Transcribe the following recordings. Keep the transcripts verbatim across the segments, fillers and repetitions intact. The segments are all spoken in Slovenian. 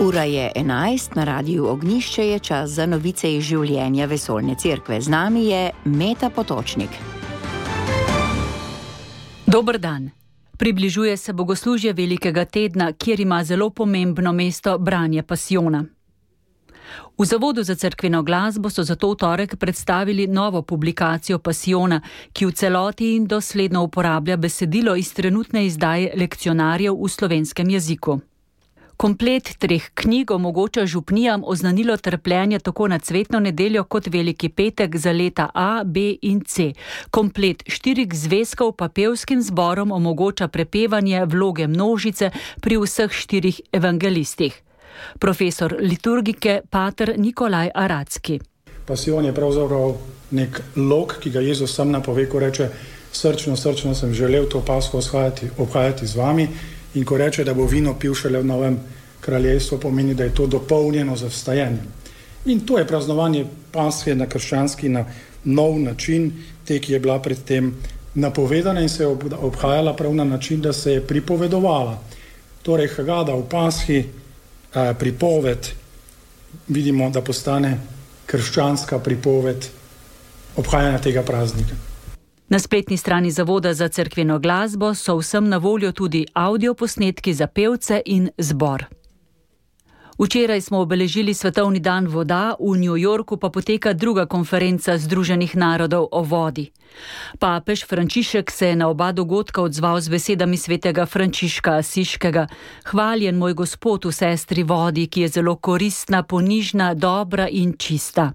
Ura je enajst, na Radiu Ognjišče je čas za novice iz življenja Vesoljne cerkve. Z nami je Meta Potočnik. Dober dan. Približuje se bogoslužje Velikega tedna, kjer ima zelo pomembno mesto branje pasijona. V Zavodu za cerkveno glasbo so zato v torek predstavili novo publikacijo pasijona, ki v celoti in dosledno uporablja besedilo iz trenutne izdaje lekcionarjev v slovenskem jeziku. Komplet treh knjig omogoča župnijam oznanilo trpljenja tako na cvetno nedeljo kot Veliki petek za leta A, B in C. Komplet štirih zvezkov pa pevskim zborom omogoča prepevanje vloge množice pri vseh štirih evangelistih. Profesor liturgike pater Nikolaj Aracki. Pasijon je pravzaprav nek lok, ki ga Jezus sam napove, ko reče: srčno, srčno sem želel to Pasko obhajati z vami. In ko reče, da bo vino pil šele v novem kraljestvu, pomeni, da je to dopolnjeno z vstajenjem. In to je praznovanje Pashe na krščanski, na nov način, te, ki je bila predtem napovedana in se je obhajala prav na način, da se je pripovedovala. Torej, Hagada v Pashi, eh, pripoved, vidimo, da postane krščanska pripoved obhajanja tega praznika. Na spletni strani Zavoda za cerkveno glasbo so vsem na voljo tudi avdioposnetki za pevce in zbor. Včeraj smo obeležili Svetovni dan voda, v New Yorku pa poteka druga konferenca Združenih narodov o vodi. Papež Frančišek se je na oba dogodka odzval z besedami svetega Frančiška Asiškega: hvaljen moj Gospod v sestri vodi, ki je zelo koristna, ponižna, dobra in čista.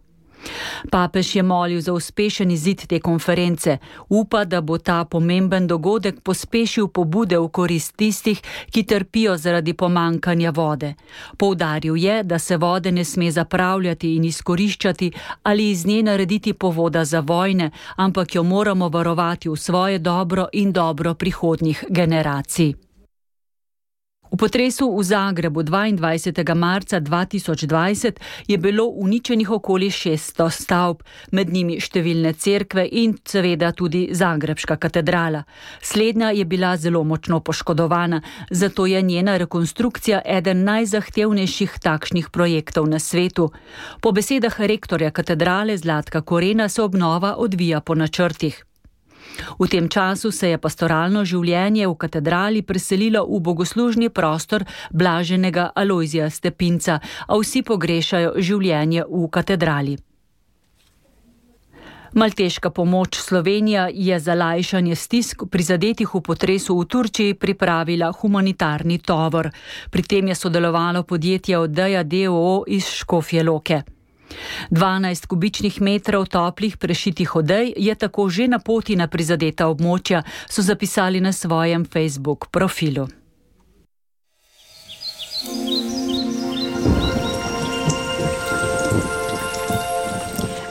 Papež je molil za uspešen izid te konference. Upa, da bo ta pomemben dogodek pospešil pobude v korist tistih, ki trpijo zaradi pomankanja vode. Poudaril je, da se vode ne sme zapravljati in izkoriščati ali iz nje narediti povoda za vojne, ampak jo moramo varovati v svoje dobro in dobro prihodnjih generacij. V potresu v Zagrebu dvaindvajsetega marca dva tisoč dvajset je bilo uničenih okoli šeststo stavb, med njimi številne cerkve in seveda tudi Zagrebška katedrala. Slednja je bila zelo močno poškodovana, zato je njena rekonstrukcija eden najzahtevnejših takšnih projektov na svetu. Po besedah rektorja katedrale Zlatka Korena se obnova odvija po načrtih. V tem času se je pastoralno življenje v katedrali preselilo v bogoslužni prostor blaženega Alojzija Stepinca, a vsi pogrešajo življenje v katedrali. Malteška pomoč Slovenija je za lajšanje stisk prizadetih v potresu v Turčiji pripravila humanitarni tovor. Pri tem je sodelovalo podjetje Odeja d. o. o. iz Škofje Loke. dvanajst kubičnih metrov toplih prešitih odej je tako že na poti na prizadeta območja, so zapisali na svojem Facebook profilu.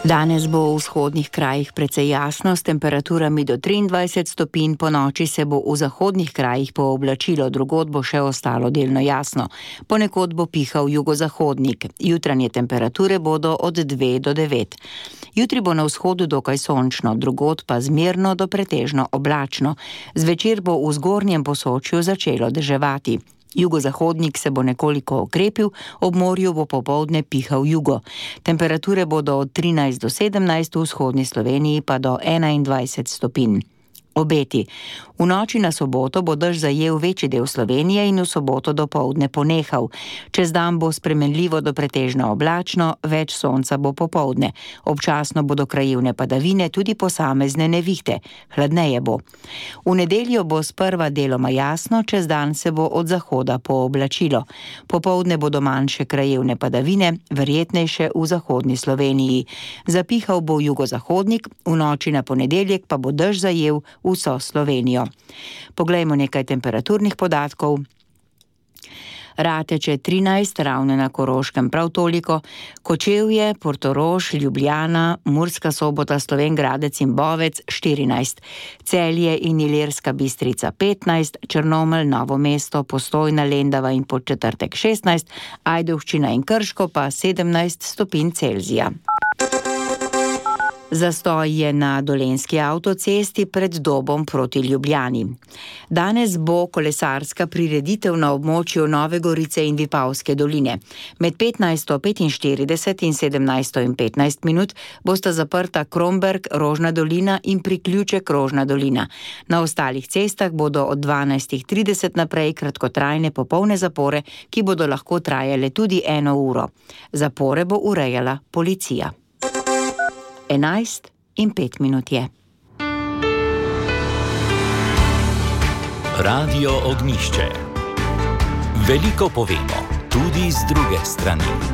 Danes bo v vzhodnih krajih precej jasno s temperaturami do triindvajset stopinj, po noči se bo v zahodnih krajih pooblačilo, drugod bo še ostalo delno jasno. Ponekod bo pihal jugozahodnik. Jutranje temperature bodo od dve do devet. Jutri bo na vzhodu dokaj sončno, drugod pa zmerno do pretežno oblačno. Zvečer bo v zgornjem Posočju začelo deževati. Jugozahodnik se bo nekoliko okrepil, ob morju bo popoldne pihal jugo. Temperature bodo od trinajst do sedemnajst, v vzhodni Sloveniji pa do enaindvajset stopinj. Obeti. V noči na soboto bo dež zajel večji del Slovenije in v soboto dopoldne ponehal. Čez dan bo spremenljivo do pretežno oblačno, več sonca bo popoldne. Občasno bodo krajevne padavine, tudi posamezne nevihte. Hladneje bo. V nedeljo bo sprva deloma jasno, čez dan se bo od zahoda pooblačilo. Popoldne bodo manjše krajevne padavine, verjetnejše v zahodni Sloveniji. Zapihal bo jugozahodnik, v noči na ponedeljek pa bo dež zajel vso Slovenijo. Poglejmo nekaj temperaturnih podatkov. Rateče trinajst, Ravne na Koroškem prav toliko, Kočevje, Portorož, Ljubljana, Murska Sobota, Slovenj Gradec in Bovec štirinajst, Celje in Ilirska Bistrica petnajst, Črnomelj, Novo mesto, Postojna, Lendava in Podčetrtek šestnajst, Ajdovščina in Krško pa sedemnajst stopinj Celzija. Zastoj je na Dolenjski avtocesti pred Dobom proti Ljubljani. Danes bo kolesarska prireditev na območju Nove Gorice in Vipavske doline. Med petnajsto petinštirideset in sedemnajsto in petnajst minut bosta zaprta Kromberk, Rožna dolina in priključek Rožna dolina. Na ostalih cestah bodo od dvanajstih trideset naprej kratkotrajne popolne zapore, ki bodo lahko trajale tudi eno uro. Zapore bo urejala policija. Enajst in pet minut je. Radio Ognjišče. Veliko povemo, tudi z druge strani.